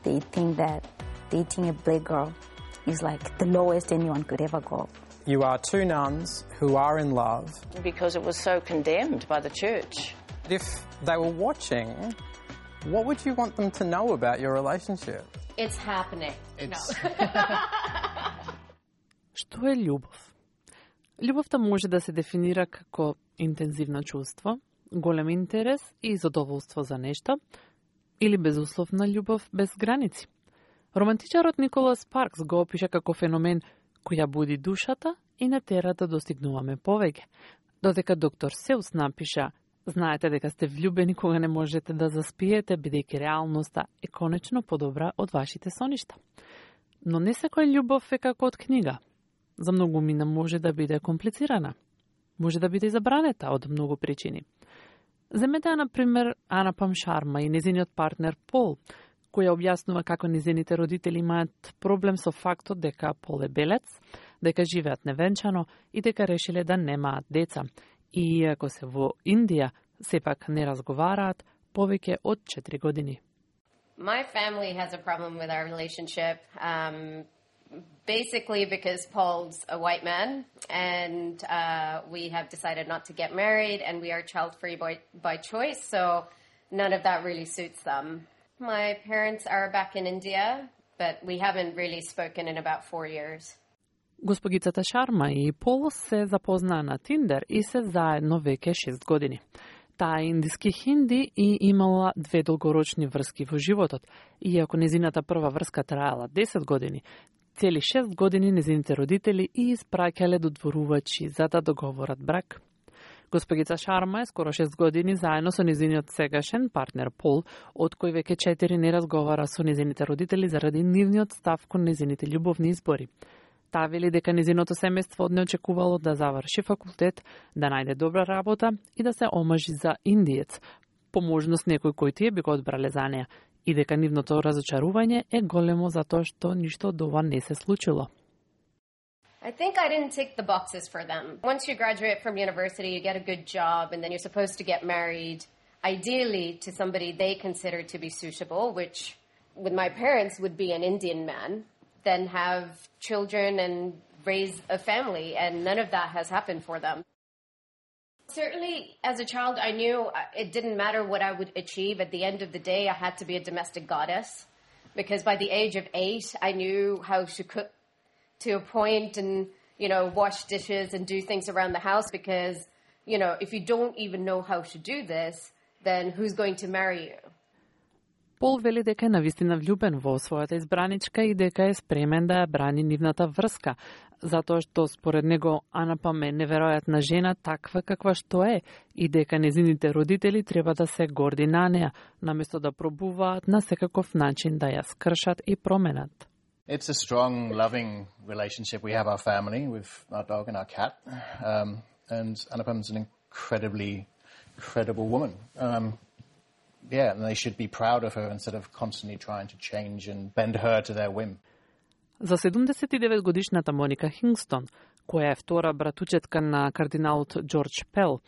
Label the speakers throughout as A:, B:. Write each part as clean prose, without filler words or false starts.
A: they think that dating a black girl is like the lowest anyone could ever go.
B: You are two nuns who are in love.
C: Because it was so condemned by the church.
B: If they were watching, what would you want them to know about your relationship?
D: It's happening.
E: Што е љубов? Љубовта може да се дефинира како интензивно чувство, голем интерес и задоволство за нешто, или безусловна љубов без граници. Романтичарот Николас Спаркс го опиша како феномен кој ја буди душата и не тера да достигнуваме повеќе. Додека доктор Сеус напиша: знаете дека сте влюбени кога не можете да заспиете, бидејќи реалноста е конечно подобра од вашите соништа. Но не секоја љубов е како од книга. За многумина може да биде комплицирана. Може да биде забранета од многу причини. Земете, например, Ана Пам Шарма и незиниот партнер Пол, која објаснува како незините родители имаат проблем со фактот дека Пол е белец, дека живеат невенчано и дека решиле да немаат деца. И иако се во Индија, сепак не разговараат повеќе од 4 години.
D: My family has a problem with our relationship, basically because Paul's a white man, and we have decided not to get married, and we are child-free by choice, so none of that really suits them. My parents are back in India, but we haven't really spoken in about 4 years.
E: Госпогицата Шарма и Пол се запознаа на Тиндер и се заедно веќе 6 години. Таа е индиски хинди и имала 2 долгорочни врски во животот. Иако незината прва врска траела 10 години, цели 6 години незините родители и испраќале додворувачи за да договорат брак. Госпогица Шарма е скоро 6 години заедно со незиниот сегашен партнер Пол, од кој веќе 4 не разговара со незините родители заради нивниот став кон незините љубовни избори. Таа вели дека незиното семејство не очекувало да заврши факултет, да најде добра работа и да се омажи за индиец, по можност некој кој тие би го одбрале за неа, и дека нивното разочарување е големо затоа што ништо од ова не се случило.
D: I think I didn't tick the boxes for them. Once you graduate from university, you get a good job, and then you're supposed to get married, ideally to somebody they consider to be suitable, which with my parents would be an Indian man, then have children and raise a family, and none of that has happened for them. Certainly, as a child, I knew it didn't matter what I would achieve. At the end of the day, I had to be a domestic goddess, because by the age of 8, I knew how to cook to a point and, wash dishes and do things around the house, because, if you don't even know how to do this, then who's going to marry you?
E: Пол вели дека е навистина влюбен во својата избраничка и дека е спремен да ја брани нивната врска, затоа што според него Ана Пам е неверојатна жена таква каква што е и дека незините родители треба да се горди на неа, наместо да пробуваат на секаков начин да ја скршат и променат.
F: It's a strong, loving relationship. We have our family with our dog and our cat, and Ana Pam's an incredibly credible woman. And they should be proud of her instead of constantly trying to change and bend her to their whim.
E: За 79 годишната Моника Хингстон, која е втора братучетка на кардиналот Џорџ Пел,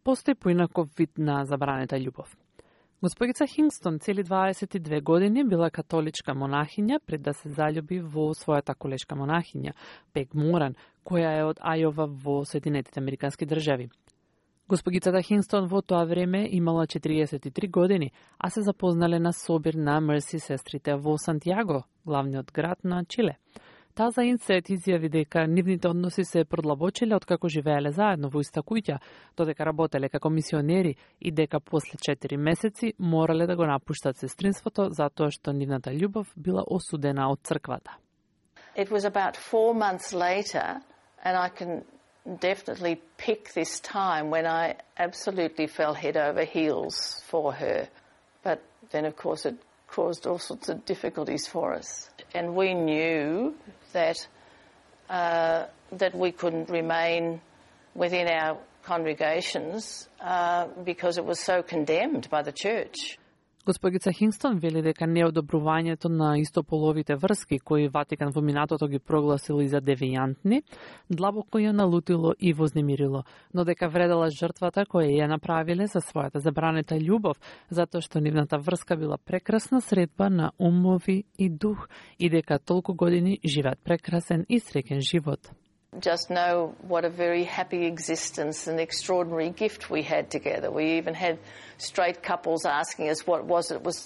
E: постои поинаков вид на забранета љубов. Госпогица Хингстон цели 22 години била католичка монахиња пред да се заљуби во својата колешка монахиња, Пег Моран, која е од Ајова во Соединетите Американски држави. Госпогицата Хингстон во тоа време имала 43 години, а се запознале на собир на Мерси сестрите во Сантјаго, главниот град на Чиле. Таа за Инсет изјави дека нивните односи се продлабочиле откако живееле заедно во иста куќа, додека работеле како мисионери и дека после 4 месеци морале да го напуштат сестринството затоа што нивната љубов била осудена од црквата.
C: It was about 4 months later, and I can definitely pick this time when I absolutely fell head over heels for her. But then, of course, it caused all sorts of difficulties for us. And we knew that that we couldn't remain within our congregations because it was so condemned by the church.
E: Госпогица Хингстон вели дека неодобрувањето на истополовите врски, кои Ватикан во минатото ги прогласил и за девијантни, длабоко ја налутило и вознемирило, но дека вредела жртвата која ја направиле за својата забранета љубов, затоа што нивната врска била прекрасна средба на умови и дух и дека толку години живеат прекрасен и среќен живот.
C: Just know what a very happy existence and extraordinary gift we had together. We even had straight couples asking us what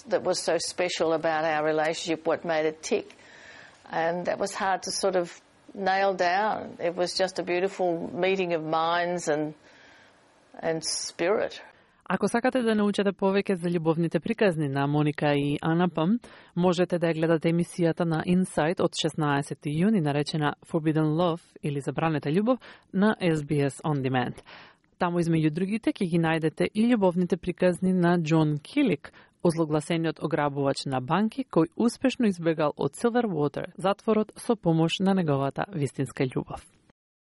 C: that was so special about our relationship, what made it tick. And that was hard to sort of nail down. It was just a beautiful meeting of minds and spirit.
E: Ако сакате да научите повеќе за љубовните приказни на Моника и Анапам, можете да ја гледате емисијата на Insight од 16 јуни, наречена Forbidden Love или Забранета љубов, на SBS On Demand. Таму измеѓу другите ќе ги најдете и љубовните приказни на Џон Килик, озлогласениот ограбувач на банки кој успешно избегал од Silverwater затворот со помош на неговата вистинска љубов.